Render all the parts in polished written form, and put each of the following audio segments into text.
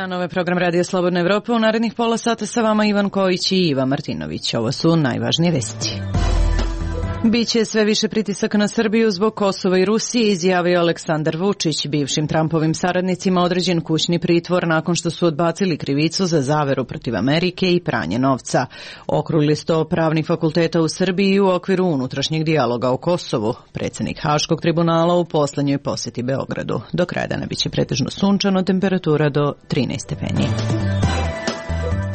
dan, ovo je program Radio Slobodna Evropa. U narednih pola sata sa vama Ivan Kojić i Iva Martinović. Ovo su najvažnije vesti. Biće sve više pritisaka na Srbiju zbog Kosova i Rusije, izjavio Aleksandar Vučić. Bivšim Trumpovim saradnicima određen kućni pritvor nakon što su odbacili krivicu za zaveru protiv Amerike i pranje novca. Okrugli sto pravnih fakulteta u Srbiji u okviru unutrašnjeg dijaloga o Kosovu. Predsjednik Haškog tribunala u poslednjoj posjeti Beogradu. Do kraja dana biće pretežno sunčano, temperatura do 13 stepeni.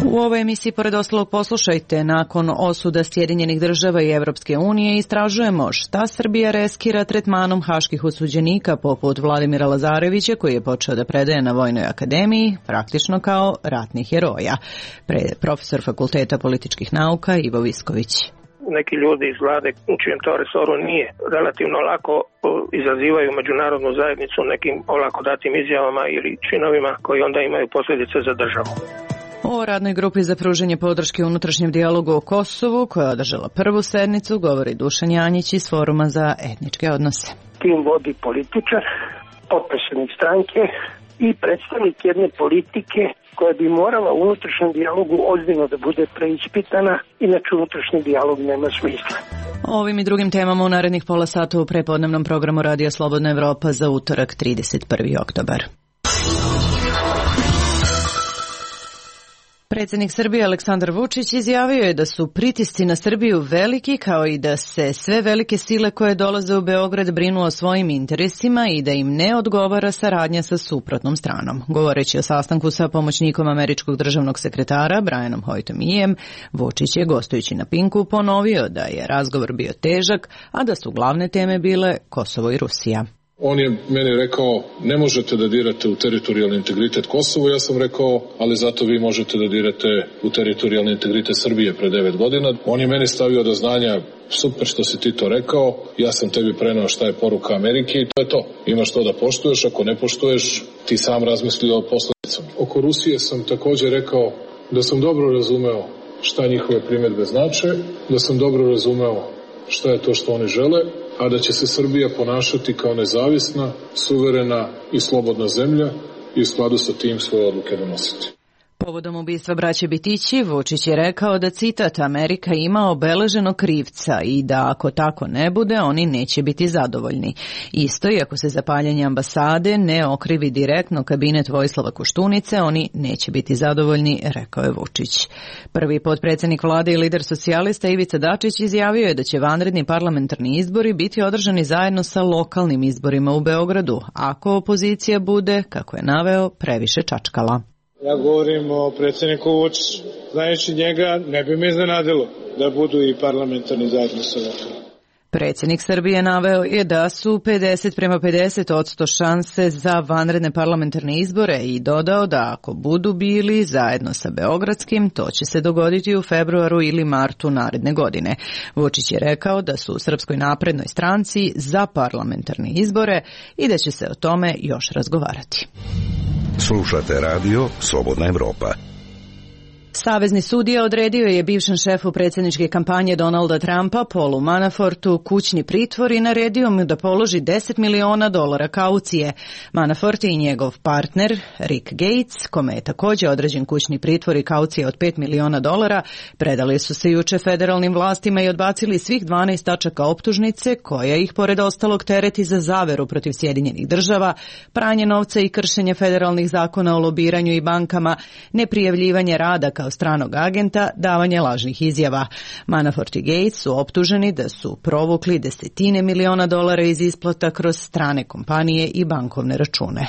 U ovoj emisiji, pored ostalog, poslušajte, nakon osuda Sjedinjenih država i Evropske unije istražujemo šta Srbija riskira tretmanom haških osuđenika poput Vladimira Lazarevića, koji je počeo da predaje na Vojnoj akademiji, praktično kao ratnih heroja. Profesor Fakulteta političkih nauka Ivo Visković. Neki ljudi iz vlade u čijem to resoru nije relativno lako izazivaju međunarodnu zajednicu nekim olako datim izjavama ili činovima koji onda imaju posljedice za državu. O radnoj grupi za pružanje podrške unutrašnjem dijalogu o Kosovu, koja je održala prvu sednicu, govori Dušan Janjić iz Foruma za etničke odnose. Tim vodi političar, potpredsjednik stranke i predstavnik jedne politike koja bi morala u unutrašnjem dijalogu ozbiljno da bude preispitana, inače unutrašnji dijalog nema smisla. O ovim i drugim temama u narednih pola sata u prepodnevnom programu Radio Slobodna Evropa za utorak 31. oktobar. Predsjednik Srbije Aleksandar Vučić izjavio je da su pritisci na Srbiju veliki, kao i da se sve velike sile koje dolaze u Beograd brinu o svojim interesima i da im ne odgovara saradnja sa suprotnom stranom. Govoreći o sastanku sa pomoćnikom američkog državnog sekretara Brianom Hoytom-Ijem, Vučić je, gostujući na Pinku, ponovio da je razgovor bio težak, a da su glavne teme bile Kosovo i Rusija. On je meni rekao, ne možete da dirate u teritorijalni integritet Kosova, ja sam rekao, ali zato vi možete da dirate u teritorijalni integritet Srbije pre 9 godina. On je meni stavio do znanja, super što si ti to rekao, ja sam tebi preneo šta je poruka Amerike i to je to. Imaš to da poštuješ, ako ne poštuješ, ti sam razmisli o posledicama. Oko Rusije sam također rekao da sam dobro razumeo šta njihove primjedbe znače, da sam dobro razumeo šta je to što oni žele, a da će se Srbija ponašati kao nezavisna, suverena i slobodna zemlja i u skladu sa tim svoje odluke donositi. Povodom ubistva braće Bitići, Vučić je rekao da, citat, Amerika ima obeleženog krivca i da ako tako ne bude, oni neće biti zadovoljni. Isto i ako se za paljenje ambasade ne okrivi direktno kabinet Vojislava Koštunice, oni neće biti zadovoljni, rekao je Vučić. Prvi potpredsjednik vlade i lider socijalista Ivica Dačić izjavio je da će vanredni parlamentarni izbori biti održani zajedno sa lokalnim izborima u Beogradu, ako opozicija bude, kako je naveo, previše čačkala. Ja govorim o predsjedniku Vučiću. Znajući njega, ne bi me iznenadilo da budu i parlamentarni zajedno sa lokalnim. Predsjednik Srbije naveo je da su 50-50% šanse za vanredne parlamentarne izbore i dodao da ako budu bili zajedno sa beogradskim, to će se dogoditi u februaru ili martu naredne godine. Vučić je rekao da su u Srpskoj naprednoj stranci za parlamentarne izbore i da će se o tome još razgovarati. Slušate radio Slobodna Evropa. Savezni sudija odredio je bivšem šefu predsjedničke kampanje Donalda Trumpa, Paulu Manafortu, kućni pritvor i naredio mu da položi $10 miliona kaucije. Manafort i njegov partner, Rick Gates, kome je također određen kućni pritvor i kaucija od $5 miliona, predali su se juče federalnim vlastima i odbacili svih 12 tačaka optužnice, koja ih pored ostalog tereti za zaveru protiv Sjedinjenih država, pranje novca i kršenje federalnih zakona o lobiranju i bankama, neprijavljivanje rada kao stranog agenta, davanje lažnih izjava. Manafort i Gates su optuženi da su provukli $10 miliona iz isplata kroz strane kompanije i bankovne račune.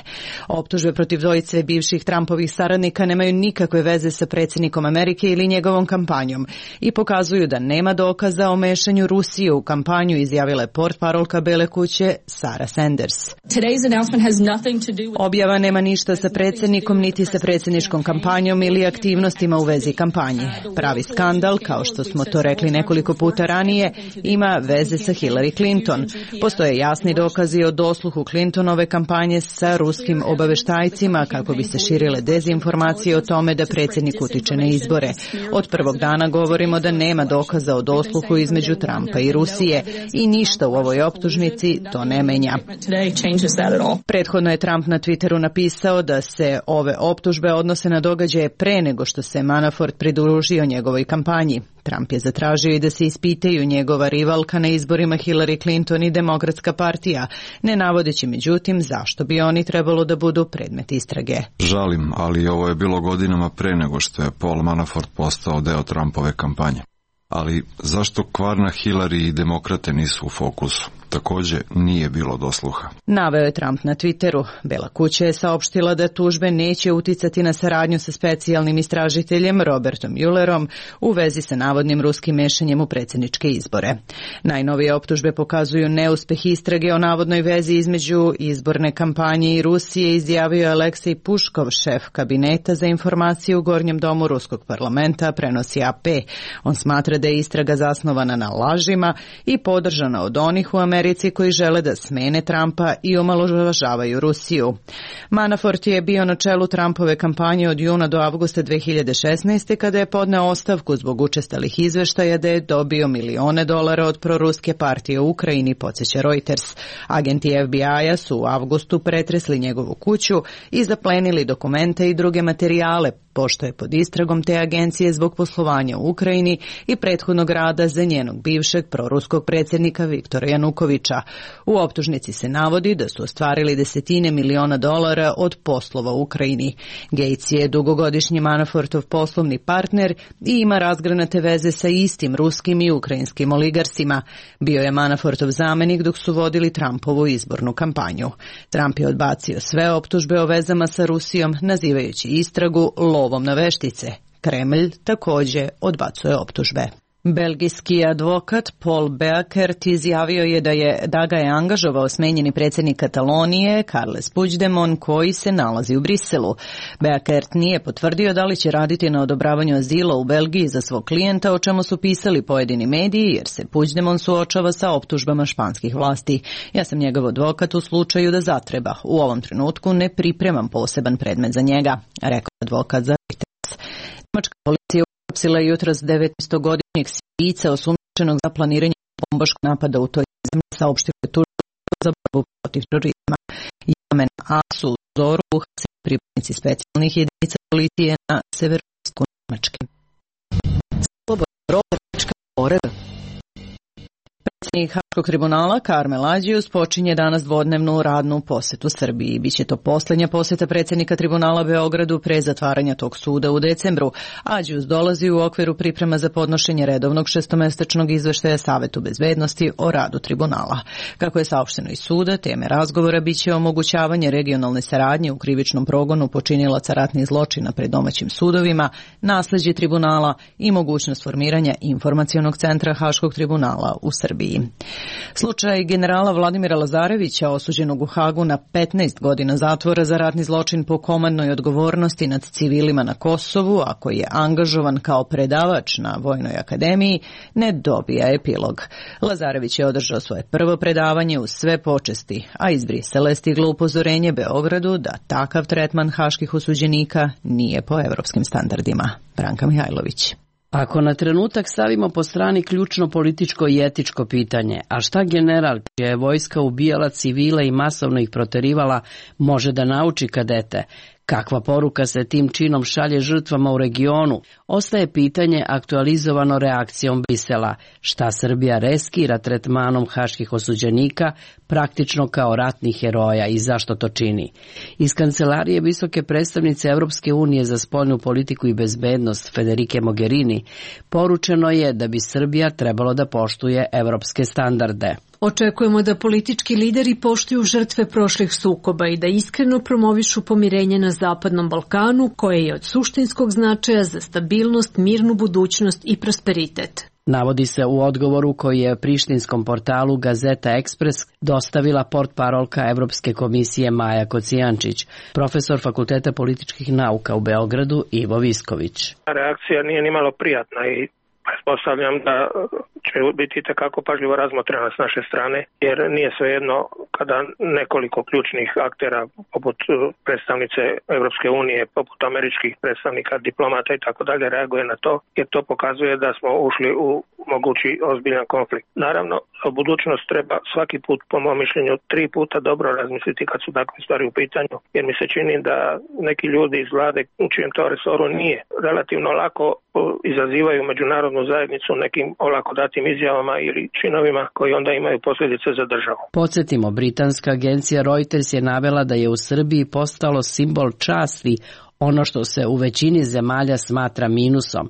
Optužbe protiv dvojice bivših Trumpovih saradnika nemaju nikakve veze sa predsjednikom Amerike ili njegovom kampanjom i pokazuju da nema dokaza o mešanju Rusije u kampanju, izjavila je portparolka Bele kuće Sarah Sanders. Objava nema ništa sa predsjednikom niti sa predsjedničkom kampanjom ili aktivnostima u vezi kampanje. Pravi skandal, kao što smo to rekli nekoliko puta ranije, ima veze sa Hillary Clinton. Postoje jasni dokazi o dosluhu Clintonove kampanje sa ruskim obaveštajcima kako bi se širile dezinformacije o tome da predsjednik utiče na izbore. Od prvog dana govorimo da nema dokaza o dosluhu između Trumpa i Rusije i ništa u ovoj optužnici to ne menja. Prethodno je Trump na Twitteru napisao da se ove optužbe odnose na događaje pre nego što se Manafort pridružio njegovoj kampanji. Trump je zatražio i da se ispitaju njegova rivalka na izborima Hillary Clinton i Demokratska partija, ne navodeći međutim zašto bi oni trebalo da budu predmet istrage. Žalim, ali ovo je bilo godinama pre nego što je Paul Manafort postao deo Trumpove kampanje. Ali zašto kvarna Hillary i demokrate nisu u fokusu? Također nije bilo dosluha. Naveo je Trump na Twitteru. Bela kuća je saopštila da tužbe neće uticati na saradnju sa specijalnim istražiteljem Robertom Muellerom u vezi sa navodnim ruskim mešanjem u predsjedničke izbore. Najnovije optužbe pokazuju neuspeh istrage o navodnoj vezi između izborne kampanje i Rusije, izjavio je Aleksej Puškov, šef kabineta za informacije u Gornjem domu Ruskog parlamenta, prenosi AP. On smatra da je istraga zasnovana na lažima i podržana od onih u Americi koji žele da smene Trumpa i omalovažavaju Rusiju. Manafort je bio na čelu Trumpove kampanje od juna do avgusta 2016. kada je podneo ostavku zbog učestalih izveštaja da je dobio milione dolara od proruske partije u Ukrajini, podsjeća Reuters. Agenti FBI-a su u avgustu pretresli njegovu kuću i zaplenili dokumente i druge materijale, pošto je pod istragom te agencije zbog poslovanja u Ukrajini i prethodnog rada za njenog bivšeg proruskog predsjednika Viktora Janukovića. U optužnici se navodi da su ostvarili desetine miliona dolara od poslova u Ukrajini. Gates je dugogodišnji Manafortov poslovni partner i ima razgranate veze sa istim ruskim i ukrajinskim oligarsima. Bio je Manafortov zamenik dok su vodili Trumpovu izbornu kampanju. Trump je odbacio sve optužbe o vezama sa Rusijom, nazivajući istragu lovom na veštice. Kremlj također odbacuje optužbe. Belgijski advokat Paul Beakert izjavio je da ga je angažovao smenjeni predsjednik Katalonije Carles Puigdemont koji se nalazi u Briselu. Beakert nije potvrdio da li će raditi na odobravanju azila u Belgiji za svog klijenta, o čemu su pisali pojedini mediji, jer se Puigdemont suočava sa optužbama španskih vlasti. Ja sam njegov advokat u slučaju da zatreba. U ovom trenutku ne pripremam poseban predmet za njega, rekao advokat za Reuters. Njemačka policija uhapsila je jutros 19-godišnjeg Sirijca osumnjičenog za planiranje bombaškog napada u toj zemlji, saopštilo je tužilaštvo za borbu protiv terorizma. Jamen Asu u Zoru uhapsili pripadnici specijalnih jedinica policije na severoistoku Njemačke. Slobodan Roberčka pored. Predsjednik Haškog tribunala Karmel Ađius počinje danas dvodnevnu radnu posjetu Srbiji. Biće to posljednja posjeta predsjednika tribunala Beogradu pre zatvaranja tog suda u decembru. Ađius dolazi u okviru priprema za podnošenje redovnog šestomesečnog izveštaja Savetu bezbednosti o radu tribunala. Kako je saopšteno iz suda, teme razgovora biće omogućavanje regionalne saradnje u krivičnom progonu počinilaca ratnih zločina pred domaćim sudovima, nasleđe tribunala i mogućnost formiranja informacionog centra Haškog tribunala u Srbiji. Slučaj generala Vladimira Lazarevića, osuđenog u Hagu na 15 godina zatvora za ratni zločin po komandnoj odgovornosti nad civilima na Kosovu, a koji je angažovan kao predavač na Vojnoj akademiji, ne dobija epilog. Lazarević je održao svoje prvo predavanje uz sve počesti, a iz Brisela je stiglo upozorenje Beogradu da takav tretman haških osuđenika nije po evropskim standardima. Branka Mihajlović. Ako na trenutak stavimo po strani ključno političko i etičko pitanje, a šta general čija je vojska ubijala civile i masovno ih proterivala može da nauči kadete, kakva poruka se tim činom šalje žrtvama u regionu, ostaje pitanje aktualizovano reakcijom Brisela, šta Srbija riskira tretmanom haških osuđenika praktično kao ratnih heroja i zašto to čini. Iz kancelarije visoke predstavnice Europske unije za spoljnu politiku i bezbednost Federike Mogherini poručeno je da bi Srbija trebalo da poštuje evropske standarde. Očekujemo da politički lideri poštuju žrtve prošlih sukoba i da iskreno promovišu pomirenje na Zapadnom Balkanu, koje je od suštinskog značaja za stabilnost, mirnu budućnost i prosperitet. Navodi se u odgovoru koji je prištinskom portalu Gazeta Ekspres dostavila portparolka Evropske komisije Maja Kocijančić, profesor Fakulteta političkih nauka u Beogradu Ivo Visković. Reakcija nije nimalo prijatna i pretpostavljam da će biti takako pažljivo razmotrena s naše strane, jer nije svejedno kada nekoliko ključnih aktera poput predstavnice Europske unije, poput američkih predstavnika, diplomata i tako dalje reaguje na to, jer to pokazuje da smo ušli u mogući ozbiljan konflikt. Naravno, u budućnost treba svaki put, po mom mišljenju, 3 puta dobro razmisliti kad su takve stvari u pitanju, jer mi se čini da neki ljudi iz vlade u čijem to resoru nije relativno lako izazivaju međunarodnu zajednicu nekim olako datim izjavama ili činovima koji onda imaju posljedice za državu. Podsjetimo, britanska agencija Reuters je navela da je u Srbiji postalo simbol časti ono što se u većini zemalja smatra minusom.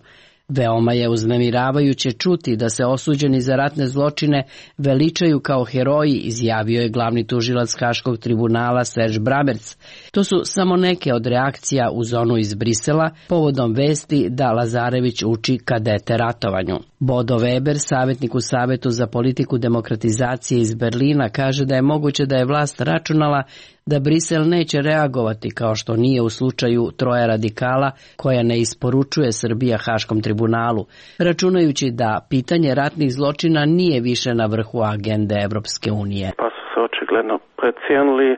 Veoma je uznemiravajuće čuti da se osuđeni za ratne zločine veličaju kao heroji, izjavio je glavni tužilac Haškog tribunala Serge Bramertz. To su samo neke od reakcija u zonu iz Brisela povodom vesti da Lazarević uči kadete ratovanju. Bodo Weber, savjetnik u Savetu za politiku demokratizacije iz Berlina, kaže da je moguće da je vlast računala da Brisel neće reagovati kao što nije u slučaju troje radikala koja ne isporučuje Srbija Haškom tribunalu, računajući da pitanje ratnih zločina nije više na vrhu agende Evropske unije. Pa su se očigledno precijenili,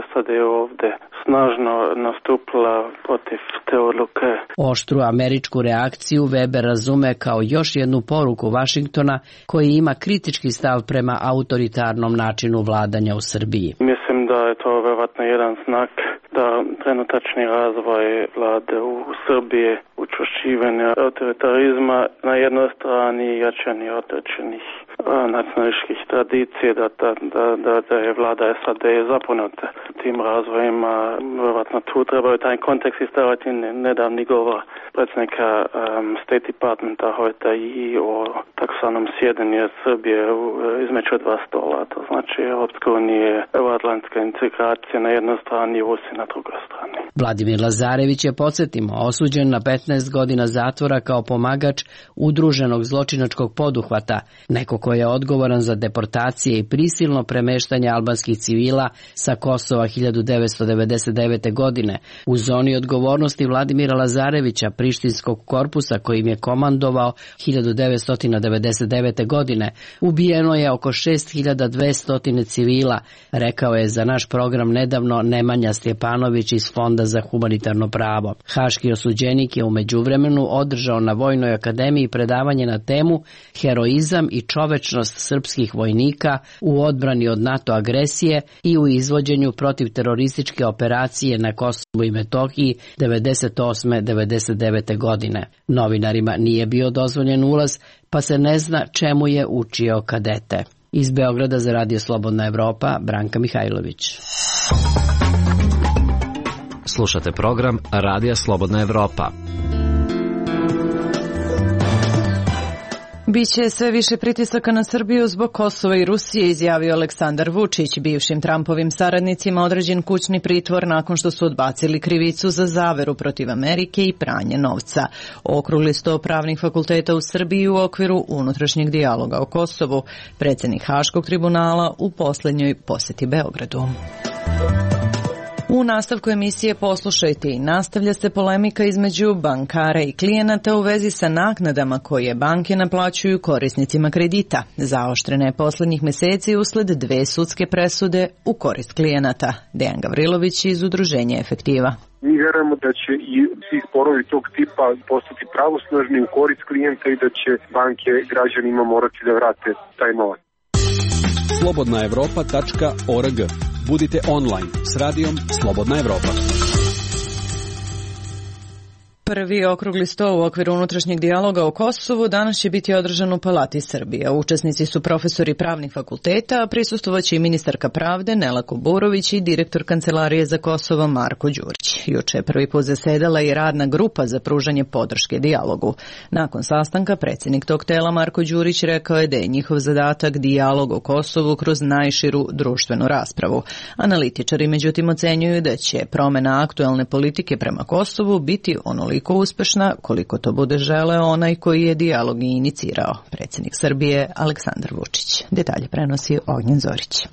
SAD je ovdje snažno nastupila protiv te odluke. Oštru američku reakciju Weber razume kao još jednu poruku Vašingtona koji ima kritički stav prema autoritarnom načinu vladanja u Srbiji. Mislim da je to vjerojatno jedan znak da trenutačni razvoj vlade u Srbiji, učvršćivanje autoritarizma na jednoj strani i jačanje određenih nacionalističkih tradicije, da je vlada SAD zapomenuta tim razvojima. Vjerojatno tu trebaju taj kontekst istavati nedavni govor predsjednika State Departmenta Hojta i o taksanom sjedenju Srbije između dva stola. To znači Europska unija, euroatlantska integracija na jednoj strani i Rusija na drugoj strani. Vladimir Lazarević je, podsjetimo, osuđen na 15 godina zatvora kao pomagač udruženog zločinačkog poduhvata, neko ko je odgovoran za deportacije i prisilno premeštanje albanskih civila sa Kosova 1999. godine. U zoni odgovornosti Vladimira Lazarevića, prištinskog korpusa kojim je komandovao 1999. godine, ubijeno je oko 6200 civila, rekao je za naš program nedavno Nemanja Stjepanović iz Fonda za humanitarno pravo. Haški osuđenik je u međuvremenu održao na Vojnoj akademiji predavanje na temu Heroizam i čovečnost srpskih vojnika u odbrani od NATO agresije i u izvođenju protiv terorističke operacije na Kosovu i Metohiji 98-99. godine. Novinarima nije bio dozvoljen ulaz, pa se ne zna čemu je učio kadete. Iz Beograda za Radio Slobodna Evropa, Branka Mihajlović. Slušate program Radija Slobodna Evropa. Biće sve više pritisaka na Srbiju zbog Kosova i Rusije, izjavio Aleksandar Vučić. Bivšim Trumpovim saradnicima određen kućni pritvor nakon što su odbacili krivicu za zaveru protiv Amerike i pranje novca. Okrugli sto pravnih fakulteta u Srbiji u okviru unutrašnjeg dijaloga o Kosovu. Predsjednik Haškog tribunala u posljednjoj posjeti Beogradu. U nastavku emisije poslušajte i nastavlja se polemika između bankara i klijenata u vezi sa naknadama koje banke naplaćuju korisnicima kredita. Zaoštrena je posljednjih mjeseci usled dve sudske presude u korist klijenata. Dejan Gavrilović iz Udruženja Efektiva. Mi vjerujemo da će i svi sporovi tog tipa postati pravosnažni u korist klijenta i da će banke građanima morati da vrate taj novac. slobodnaevropa.org. Budite online s radijom Slobodna Evropa. Prvi okrugli sto u okviru unutrašnjeg dijaloga o Kosovu danas će biti održan u Palati Srbije. Učesnici su profesori pravnih fakulteta, a prisustvovaće i ministarka pravde Nela Kuburović i direktor Kancelarije za Kosovo Marko Đurić. Juče je prvi put zasedala i radna grupa za pružanje podrške dijalogu. Nakon sastanka predsjednik tog tela Marko Đurić rekao je da je njihov zadatak dijalog o Kosovu kroz najširu društvenu raspravu. Analitičari međutim ocenjuju da će promjena aktualne politike prema Kosovu biti onoliko toliko uspešna koliko to bude želeo onaj koji je dijalog i inicirao, predsjednik Srbije Aleksandar Vučić. Detalje prenosi Ognjen Zorić.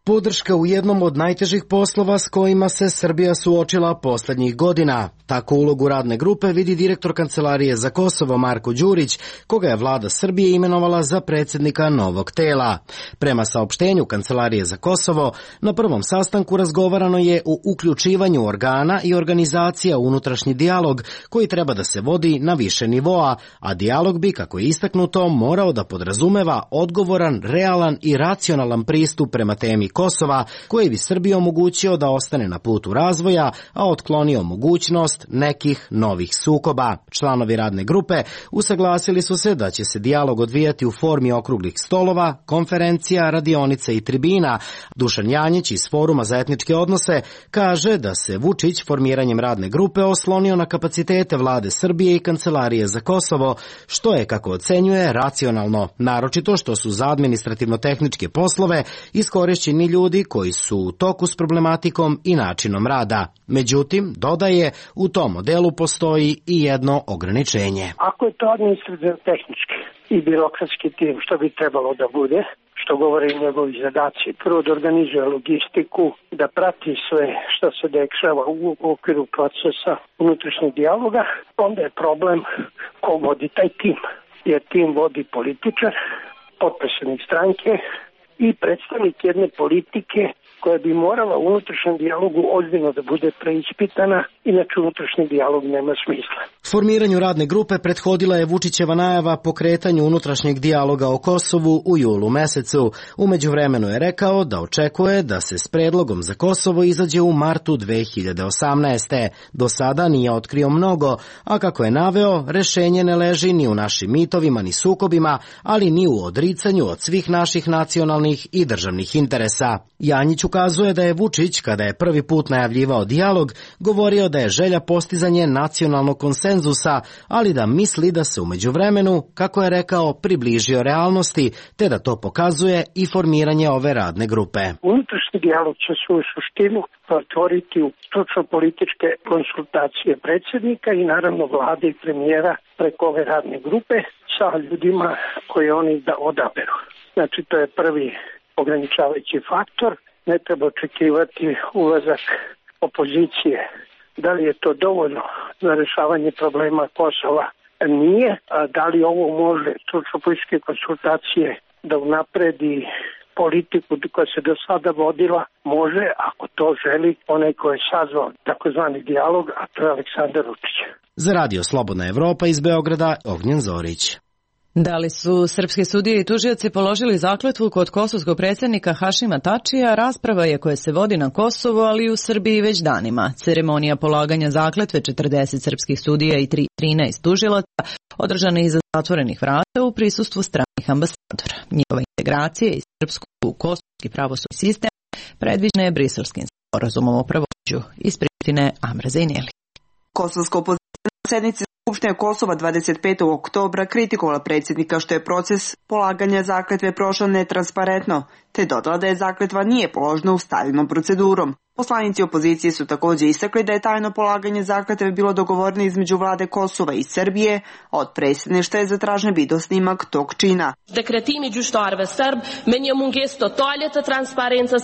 Podrška u jednom od najtežih poslova s kojima se Srbija suočila poslednjih godina. Tako ulogu radne grupe vidi direktor Kancelarije za Kosovo Marko Đurić, koga je vlada Srbije imenovala za predsjednika novog tela. Prema saopštenju Kancelarije za Kosovo, na prvom sastanku razgovarano je o uključivanju organa i organizacija u unutrašnji dijalog koji treba da se vodi na više nivoa, a dijalog bi, kako je istaknuto, morao da podrazumeva odgovoran, realan i racionalan pristup prema temi Kosova, koji bi Srbiji omogućio da ostane na putu razvoja, a otklonio mogućnost nekih novih sukoba. Članovi radne grupe usaglasili su se da će se dijalog odvijati u formi okruglih stolova, konferencija, radionica i tribina. Dušan Janjić iz Foruma za etničke odnose kaže da se Vučić formiranjem radne grupe oslonio na kapacitete vlade Srbije i Kancelarije za Kosovo, što je, kako ocenjuje, racionalno, naročito što su za administrativno-tehničke poslove iskorišćeni ljudi koji su u toku s problematikom i načinom rada. Međutim, dodaje, u tom modelu postoji i jedno ograničenje. Ako je to administrativno-tehnički i birokratski tim, što bi trebalo da bude, što govore i njegovi zadaci, prvo da organizuje logistiku, da prati sve što se dešava u okviru procesa unutrašnjeg dijaloga, onda je problem ko vodi taj tim. Jer tim vodi političar, potpredsednik stranke i predstavnik jedne politike koja bi morala u unutrašnjem dijalogu ozbiljno da bude preispitana, inače unutrašnji dijalog nema smisla. Formiranju radne grupe prethodila je Vučićeva najava pokretanju unutrašnjeg dijaloga o Kosovu u julu mesecu. U međuvremenu je rekao da očekuje da se s predlogom za Kosovo izađe u martu 2018. Do sada nije otkrio mnogo, a kako je naveo, rešenje ne leži ni u našim mitovima ni sukobima, ali ni u odricanju od svih naših nacionalnih i državnih interesa. Janjić ukazuje da je Vučić, kada je prvi put najavljivao dijalog, govorio da je želja postizanje nacionalnog konsenzusa, ali da misli da se u međuvremenu, kako je rekao, približio realnosti, te da to pokazuje i formiranje ove radne grupe. Unutrašnji dijalog će svoju suštinu otvoriti u stručno-političke konsultacije predsjednika i naravno vlade i premijera preko ove radne grupe sa ljudima koje oni da odaberu. Znači, to je prvi ograničavajući faktor. Ne treba očekivati ulazak opozicije. Da li je to dovoljno za rešavanje problema Kosova? Nije. A da li ovo može stručno-političke konsultacije da unapredi politiku koja se do sada vodila? Može, ako to želi onaj ko je sazvao takozvani dijalog, a to je Aleksandar Vučić. Za Radio Slobodna Evropa iz Beograda, Ognjen Zorić. Da li su srpske sudije i tužioci položili zakletvu kod kosovskog predsjednika Hašima Tačija, rasprava je koja se vodi na Kosovu, ali i u Srbiji već danima. Ceremonija polaganja zakletve 40 srpskih sudija i 13 tužilaca održana iza zatvorenih vrata u prisustvu stranih ambasadora. Njihova integracija iz srpskog u kosovski pravosudni sistem predviđena je Briselskim sporazumom o pravosuđu. Iz Prištine Amra Zejneli. Kosovska opozicija na sednici Skupštine Kosova 25. oktobra kritikovala predsjednika što je proces polaganja zakletve prošao netransparentno, te dodala da je zakletva nije položena ustaljenom procedurom. Poslanici opozicije su također istakli da je tajno polaganje zakletve bilo dogovoreno između vlade Kosova i Srbije, a od predsjedništva je zatražen video snimak tog čina.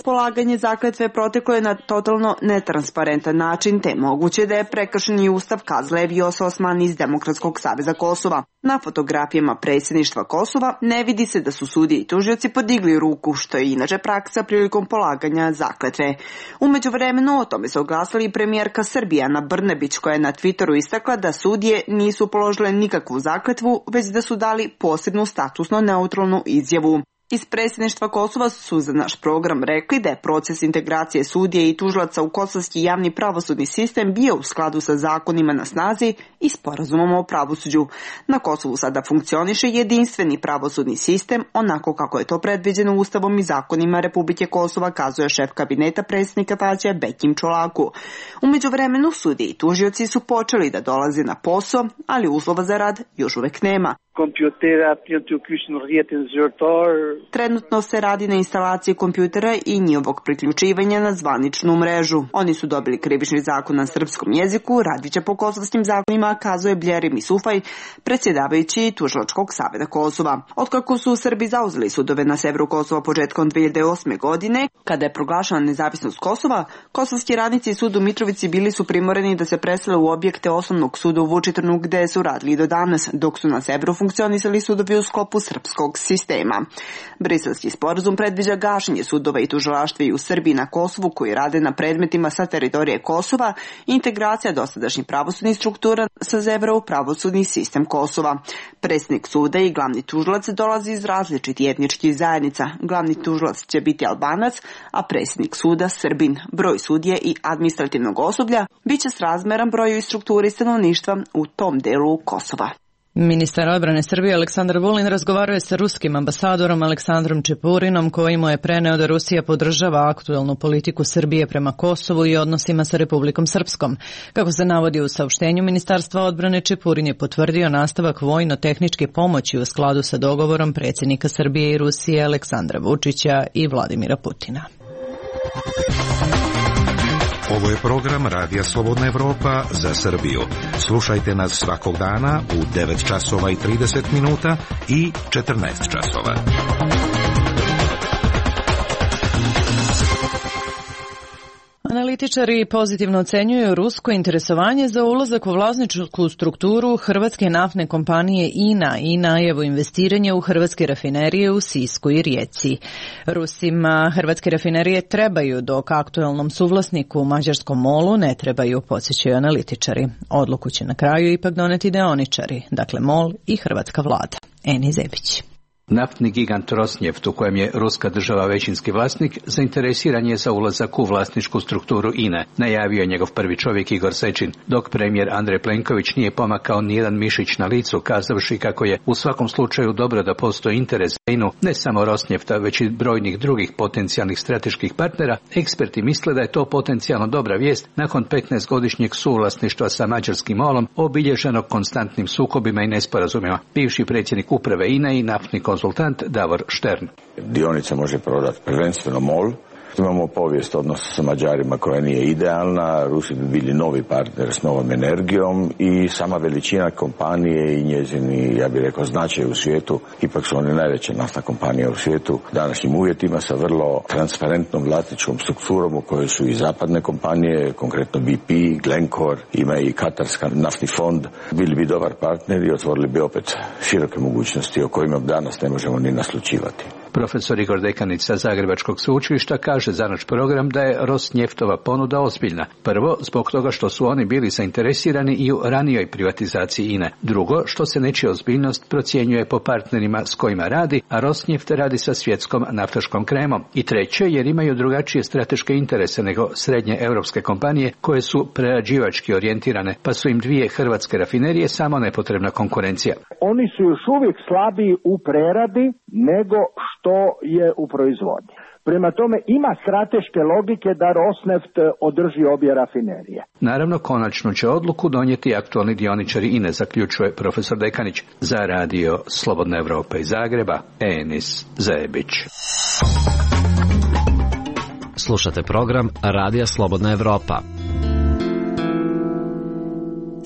Polaganje zakletve proteklo je na totalno netransparentan način, te moguće da je prekršen i ustav, kazala je Vjosa Osmani iz Demokratskog saveza Kosova. Na fotografijama predsjedništva Kosova ne vidi se da su sudije i tužioci podigli ruku, što je inače praksa prilikom polaganja zakletve. U međuvremenu o tome se oglasila i premijerka Srbije Ana Brnabić, koja je na Twitteru istakla da sudije nisu položile nikakvu zakletvu, već da su dali posebnu statusno neutralnu izjavu. Iz predsjedništva Kosova su za naš program rekli da je proces integracije sudije i tužilaca u kosovski javni pravosudni sistem bio u skladu sa zakonima na snazi i sporazumom o pravosuđu. Na Kosovu sada funkcioniše jedinstveni pravosudni sistem, onako kako je to predviđeno Ustavom i zakonima Republike Kosova, kazuje šef kabineta predsjednika Tačija Bekim Čolaku. U međuvremenu sudije i tužioci su počeli da dolaze na posao, ali uslova za rad još uvek nema. Trenutno se radi na instalaciji kompjutera i njihovog priključivanja na zvaničnu mrežu. Oni su dobili krivični zakon na srpskom jeziku, radit će po kosovskim zakonima, kazuje Bljeri Misufaj, predsjedavajući Tužilačkog saveza Kosova. Otkako su Srbi zauzeli sudove na severu Kosova početkom 2008. godine, kada je proglašena nezavisnost Kosova, kosovski radnici i sud u Mitrovici bili su primoreni da se presele u objekte osnovnog suda u Vučitrnu, gde su radili do danas, dok su na severu funkcionisali sudovi u sklopu srpskog sistema. Briselski sporazum predviđa gašenje sudova i tužilaštva i u Srbiji na Kosovu koji rade na predmetima sa teritorije Kosova i integracija dosadašnjih pravosudnih struktura sa severa u pravosudni sistem Kosova. Predsjednik suda i glavni tužilac dolazi iz različitih etničkih zajednica. Glavni tužilac će biti Albanac, a predsjednik suda Srbin. Broj sudije i administrativnog osoblja biće srazmeran broju i strukturi stanovništva u tom delu Kosova. Ministar odbrane Srbije Aleksandar Vulin razgovarao je sa ruskim ambasadorom Aleksandrom Čepurinom, koji mu je preneo da Rusija podržava aktuelnu politiku Srbije prema Kosovu i odnosima sa Republikom Srpskom. Kako se navodi u saopštenju Ministarstva odbrane, Čepurin je potvrdio nastavak vojno-tehničke pomoći u skladu sa dogovorom predsjednika Srbije i Rusije Aleksandra Vučića i Vladimira Putina. Ovo je program Radija Slobodna Evropa za Srbiju. Slušajte nas svakog dana u 9 časova i 30 minuta i 14 časova. Analitičari pozitivno ocenjuju rusko interesovanje za ulazak u vlasničku strukturu hrvatske naftne kompanije INA i najavu investiranja u hrvatske rafinerije u Sisku i Rijeci. Rusima hrvatske rafinerije trebaju, dok aktuelnom suvlasniku mađarskom MOL-u ne trebaju, podsjećaju analitičari. Odluku će na kraju ipak doneti deoničari, dakle MOL i hrvatska vlada. Eni Zebić. Naftni gigant Rosneft, u kojem je ruska država većinski vlasnik, zainteresiran je za ulazak u vlasničku strukturu INA, najavio je njegov prvi čovjek Igor Sečin, dok premijer Andrej Plenković nije pomakao nijedan mišić na licu, kazavši kako je u svakom slučaju dobro da postoji interes za INA, ne samo Rosnefta, već i brojnih drugih potencijalnih strateških partnera. Eksperti misle da je to potencijalno dobra vijest nakon 15-godišnjeg suvlasništva sa mađarskim MOL-om, obilježenog konstantnim sukobima i nesporazumima. Bivši predsjednik uprave INA i naftni konzultant Davor Štern. Dionice može prodati prvenstveno MOL. Imamo povijest odnosa sa Mađarima koja nije idealna, Rusi bi bili novi partner s novom energijom i sama veličina kompanije i njezini, ja bih rekao, značaj u svijetu, ipak su one najveća naftna kompanija u svijetu, današnjim uvjetima sa vrlo transparentnom vlasničkom strukturom u kojoj su i zapadne kompanije, konkretno BP, Glencore, ima i Katarska naftni fond, bili bi dobar partner i otvorili bi opet široke mogućnosti o kojima danas ne možemo ni naslučivati. Profesor Igor Dekanić sa Zagrebačkog sveučilišta kaže za naš program da je Rosnjeftova ponuda ozbiljna. Prvo, zbog toga što su oni bili zainteresirani i u ranijoj privatizaciji INA. Drugo, što se nečija ozbiljnost procjenjuje po partnerima s kojima radi, a Rosnjeft radi sa svjetskom naftaškom kremom. I treće, jer imaju drugačije strateške interese nego srednje europske kompanije koje su prerađivački orijentirane, pa su im dvije hrvatske rafinerije samo nepotrebna konkurencija. Oni su još uvijek slabiji u preradi nego što je u proizvodnji. Prema tome ima strateške logike da Rosneft održi obje rafinerije. Naravno, konačnu će odluku donijeti aktualni dioničari INA, zaključuje profesor Dekanić. Za radio Slobodna Evropa iz Zagreba, Enis Zebić. Slušate program Radija Slobodna Evropa.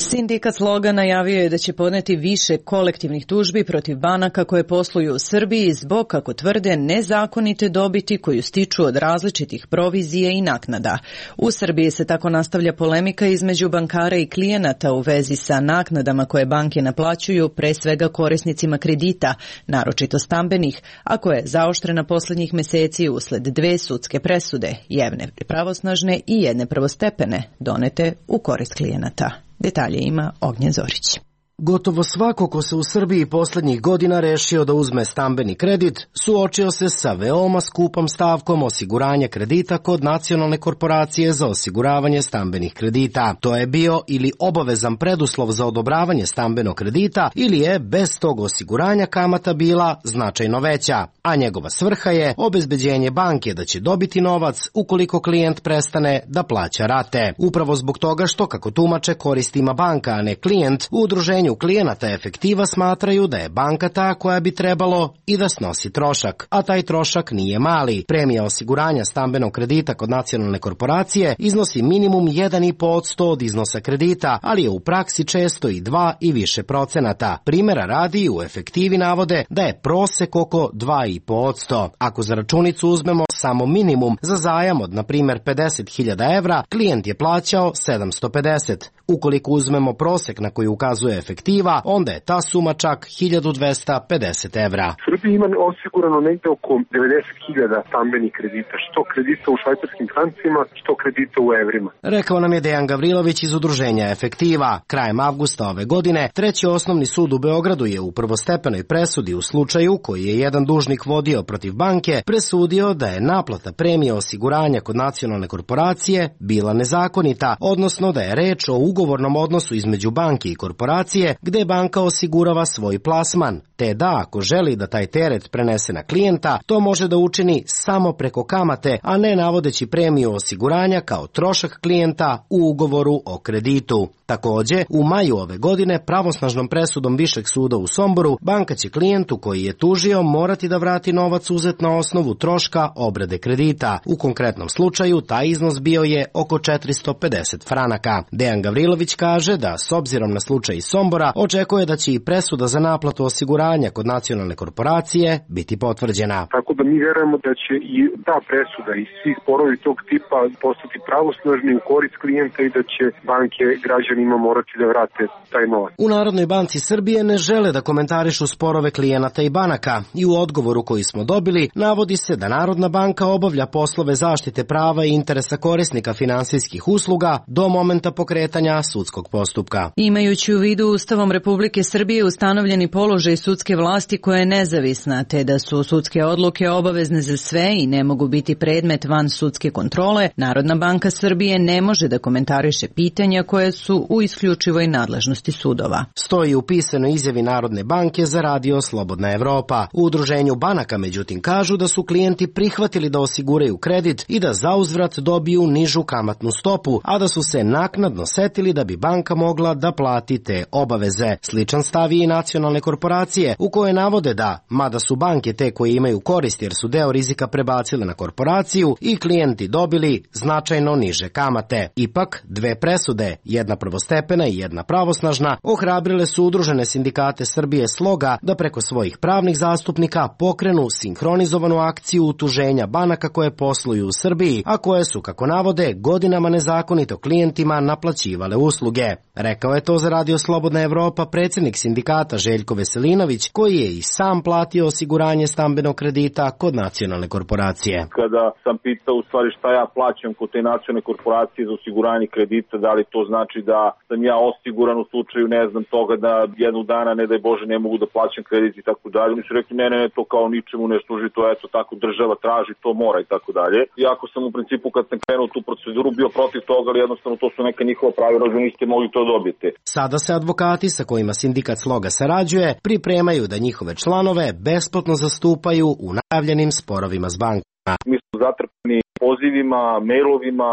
Sindikat Sloga najavio je da će podneti više kolektivnih tužbi protiv banaka koje posluju u Srbiji zbog, kako tvrde, nezakonite dobiti koju stiču od različitih provizije i naknada. U Srbiji se tako nastavlja polemika između bankara i klijenata u vezi sa naknadama koje banke naplaćuju pre svega korisnicima kredita, naročito stambenih, a koja je zaoštrena posljednjih meseci usled dve sudske presude, jedne pravosnažne i jedne prvostepene, donete u korist klijenata. Detalje ima Ognjen Zorić. Gotovo svako ko se u Srbiji posljednjih godina rešio da uzme stambeni kredit, suočio se sa veoma skupom stavkom osiguranja kredita kod Nacionalne korporacije za osiguravanje stambenih kredita. To je bio ili obavezan preduslov za odobravanje stambenog kredita ili je bez tog osiguranja kamata bila značajno veća, a njegova svrha je obezbeđenje banke da će dobiti novac ukoliko klijent prestane da plaća rate. Upravo zbog toga što, kako tumače, korist ima banka, a ne klijent, u udruženju udruženju klijenata efektiva smatraju da je banka ta koja bi trebalo i da snosi trošak, a taj trošak nije mali. Premija osiguranja stambenog kredita kod nacionalne korporacije iznosi minimum 1,5% od iznosa kredita, ali je u praksi često i 2 i više procenata. Primjera radi u efektivi navode da je prosek oko 2,5%. Ako za računicu uzmemo samo minimum za zajam od, na primjer, 50.000 evra, klijent je plaćao 750. Ukoliko uzmemo prosek na koji ukazuje efektiva, onda je ta suma čak 1.250 evra. Srbija ima osigurano negde oko 90.000 stambenih kredita, što kredita u švajcarskim francima, što kredita u evrima. Rekao nam je Dejan Gavrilović iz udruženja Efektiva. Krajem avgusta ove godine, Treći osnovni sud u Beogradu je u prvostepenoj presudi u slučaju koji je jedan dužnik vodio protiv banke presudio da je naplata premije osiguranja kod nacionalne korporacije bila nezakonita, odnosno da je reč o ugovornom odnosu između banke i korporacije gde banka osigurava svoj plasman, te da ako želi da taj teret prenese na klijenta, to može da učini samo preko kamate, a ne navodeći premiju osiguranja kao trošak klijenta u ugovoru o kreditu. Takođe, u maju ove godine pravosnažnom presudom Višeg suda u Somboru, banka će klijentu koji je tužio morati da vrati novac uzet na osnovu troška obrade kredita. U konkretnom slučaju taj iznos bio je oko 450 franaka. Dejan Gavrilović kaže da s obzirom na slučaj iz Sombora očekuje da će i presuda za naplatu osiguranja kod nacionalne korporacije biti potvrđena. Tako da mi verujemo da će i ta presuda i svi sporovi tog tipa postati pravosnažni u korist klijenta i da će banke građanima morati da vrate taj novac. U Narodnoj banci Srbije ne žele da komentarišu sporove klijenata i banaka i u odgovoru koji smo dobili navodi se da Narodna banka obavlja poslove zaštite prava i interesa korisnika finansijskih usluga do momenta pokretanja sudskog postupka. Imajući u vidu Ustavom Republike Srbije ustanovljeni položaj sudske vlasti koja je nezavisna, te da su sudske odluke obavezne za sve i ne mogu biti predmet van sudske kontrole, Narodna banka Srbije ne može da komentariše pitanja koje su u isključivoj nadležnosti sudova. Stoji u pisanoj izjavi Narodne banke za radio Slobodna Evropa. U udruženju banaka međutim kažu da su klijenti prihvatili da osiguraju kredit i da zauzvrat dobiju nižu kamatnu stopu, a da su se naknadno setili da bi banka mogla da plati te obaveze. Sličan stav i nacionalne korporacije u koje navode da, mada su banke te koje imaju korist jer su deo rizika prebacile na korporaciju i klijenti dobili značajno niže kamate. Ipak, dve presude, jedna prvostepena i jedna pravosnažna, ohrabrile su udružene sindikate Srbije Sloga da preko svojih pravnih zastupnika pokrenu sinhronizovanu akciju utuženja banaka koje posluju u Srbiji, a koje su, kako navode, godinama nezakonito klijentima naplaćivale usluge. Rekao je to za radio Slobodna Evropa predsjednik sindikata Željko Veselinović, koji je i sam platio osiguranje stambenog kredita kod nacionalne korporacije. Kada sam pitao u stvari šta ja plaćam kod te nacionalne korporacije za osiguranje kredita, da li to znači da sam ja osiguran u slučaju, ne znam, toga da jednog dana, ne daj Bože, ne mogu da plaćam kredit i tako dalje. Mi su rekli, ne, to kao ničemu ne služi, to eto tako država traži, to mora i tako dalje. Iako sam u principu kad sam krenuo tu proceduru bio protiv toga, ali jednostavno to su neka njihova pravila, da niste mogli to dobiti. Sada se advokati sa kojima sindikat Sloga sarađuje pripremaju da njihove članove besplatno zastupaju u najavljenim sporovima s bankama. Mi smo zatrpani pozivima, mailovima,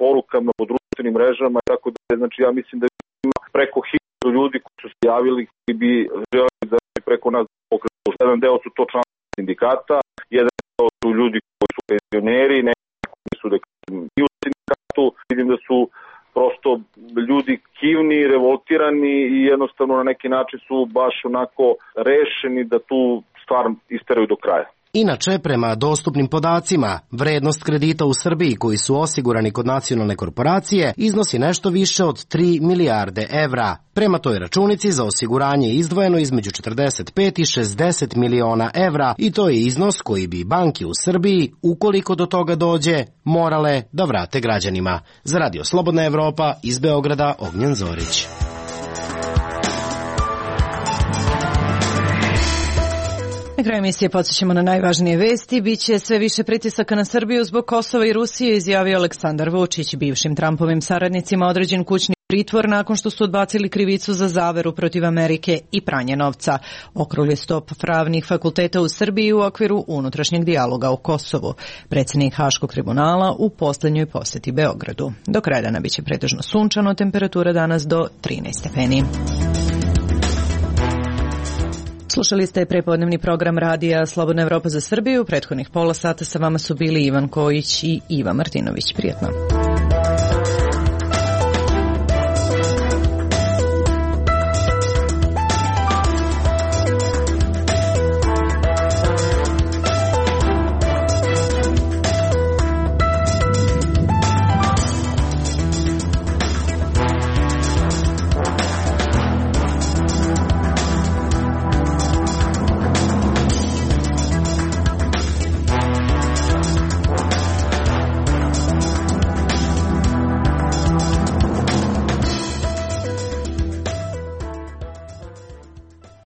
porukama po društvenim mrežama i tako dalje. Znači ja mislim da ima preko 1000 ljudi koji su se javili koji bi želeli da preko nas pokretu. Jedan deo su to članovi sindikata, jedan deo su ljudi koji su penzioneri, neki su i u sindikatu. Vidim da su prosto ljudi kivni, revoltirani i jednostavno na neki način su baš onako rešeni da tu stvar isteraju do kraja. Inače, prema dostupnim podacima, vrednost kredita u Srbiji koji su osigurani kod nacionalne korporacije iznosi nešto više od 3 milijarde evra. Prema toj računici za osiguranje je izdvojeno između 45 i 60 miliona evra i to je iznos koji bi banke u Srbiji, ukoliko do toga dođe, morale da vrate građanima. Za radio Slobodna Evropa iz Beograda, Ognjen Zorić. Na kraju emisije podsjećamo na najvažnije vesti. Biće sve više pritisaka na Srbiju zbog Kosova i Rusije, izjavio Aleksandar Vučić. Bivšim Trumpovim saradnicima određen kućni pritvor nakon što su odbacili krivicu za zaveru protiv Amerike i pranje novca. Okrugli stop pravnih fakulteta u Srbiji u okviru unutrašnjeg dijaloga o Kosovu. Predsjednik Haškog tribunala u posljednjoj posjeti Beogradu. Do kraja dana biće pretežno sunčano, temperatura danas do 13 stepeni. Slušali ste prepodnevni program radija Slobodna Evropa za Srbiju. Prethodnih pola sata sa vama su bili Ivan Kojić i Iva Martinović. Prijatno.